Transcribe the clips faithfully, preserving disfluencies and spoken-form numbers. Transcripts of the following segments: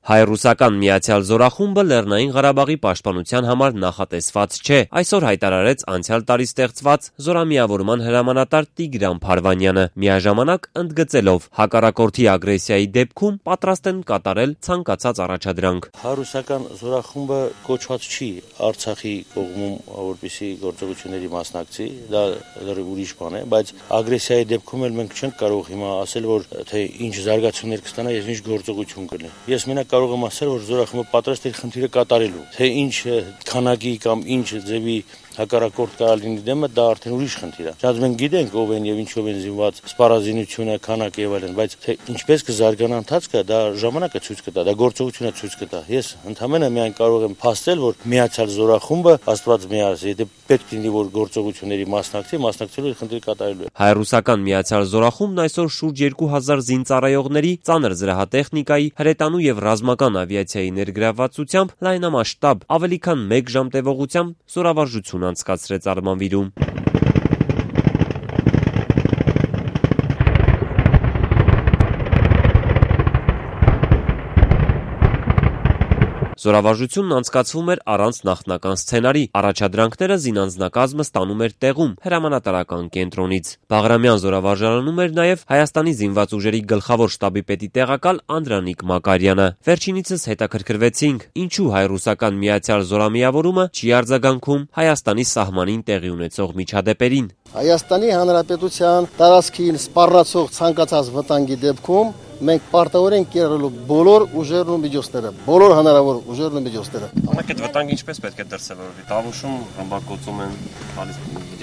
Հայ-ռուսական միացյալ զորախումբը Լեռնային Ղարաբաղի պաշտպանության համար նախատեսված չէ, այսօր հայտարարեց անցյալ տարի ստեղծված զորամիավորման հրամանատար Տիգրան Փարվանյանը, միաժամանակ ընդգծելով հակառակորդի ագրեսիայի դեպքում պատրաստ են կատարել ցանկացած առաջադրանք։ Հայ-ռուսական զորախումբը կոչված չի Արցախի կողմում, որպեսզի գործողությունների մասնակցի, դա լրիվ ուրիշ բան է, բայց ագրեսիայի դեպքում էլ մենք չենք կարող հիմա ասել, որ թե ինչ զարգացումներ կստանա եւ ինչ գործողություն կլինի։ Ես մենակ կարող եմ ասել, որ զորախումբը պատրաստ է խնդիրը կատարելու, թե ինչ քանակի կամ ինչ ձևի հակառակորդ կարող լինի դեմը, դա արդեն ուրիշ խնդիր է։ Շատ մենք գիտենք ով են եւ ինչով են զինված, սպառազինությունը, քանակը եւ այլն, բայց թե ինչպես կզարգանա ընթացքը, դա ժամանակը ցույց կտա, դա գործողությունը ցույց կտա։ Ես ընդհանրապես միայն կարող եմ փաստել, որ միացյալ զորախումբը աստված միաց, եթե պետք լինի որ գործողությունների մասնակցի, մասնակցելու խնդիր կատարելու է։ Հայ-ռուսական միացյալ զորախումբն այսօր շուրջ երկու հազար զինծառայողների, ծանր զրահատեխնիկայի, հրետանու եւ ռազմական ավիացիայի ներգրավվածությամբ լայնամասշտաբ ավելի քան մեկ ժամ տևողությամբ զորավարժություն անցկացրեց Արմանվիրում։ Զորավարժությունն անցկացվում էր առանց նախնական սցենարի, առաջադրանքները զինանձնակազմը ստանում էր տեղում, հրամանատարական կենտրոնից։ Բաղրամյան զորավարժարանում էր նաև Հայաստանի զինված ուժերի գլխավոր շտաբի պետի տեղակալ Անդրանիկ Մակարյանը։ Վերջինիցս հետաքրքրվեցինք, ինչու հայ-ռուսական միացյալ զորամիավորումը չի արձագանքում Հայաստանի սահմանին տեղի ունեցող միջադեպերին։ Հայաստանի Հանրապետության տարածքին սպառնացող ցանկացած վտանգի դեպքում մենք պարտավոր ենք կիրառելու բոլոր ուժերն ու միջոցները, բոլոր հնարավոր ուժերն ու միջոցները։ Ամենակ այդ վտանգը ինչպես պետք է դրսևորվի։ Տավուշում ռմբակոծում են,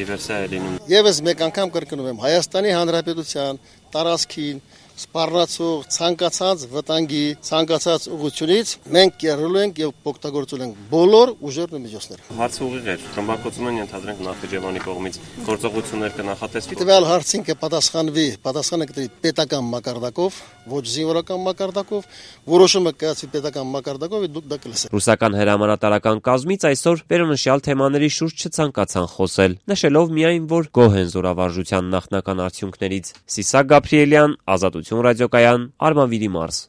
դիվերսիա է լինում։ Եվս մեկ անգամ կրկնում եմ, Հայաստանի Հանրապետության տարածքին սպառնացող ցանկացած վտանգի, ցանկացած ուղղությունից մենք կիրառելու ենք եւ օգտագործելու ենք բոլոր ուժերն ու միջոցները։ Հարցը ուղիղ է, ռմբակոծում են ենթադրենք Նախիջևանի կողմից, գործողություններ կնախատեսվի։ Տվյալ հարցին կպատասխանվի, պատասխանը կտրի պետական մակարդակով, ոչ զինվորական մակարդակով, որոշումը կայացվի պետական մակարդակով եւ դուք դա կլսեք։ Ռուսական հրամանատարական կազմից այսօր վերոնշյալ թեմաների շուրջ չցանկացան խոսել, նշելով միայն, որ գոհ են զորավարժության նախնական արդյունքներից։ Սիսակ Գաբրիելյան, Ազատություն ռադիոկայան, Արմանվիրի մարզ։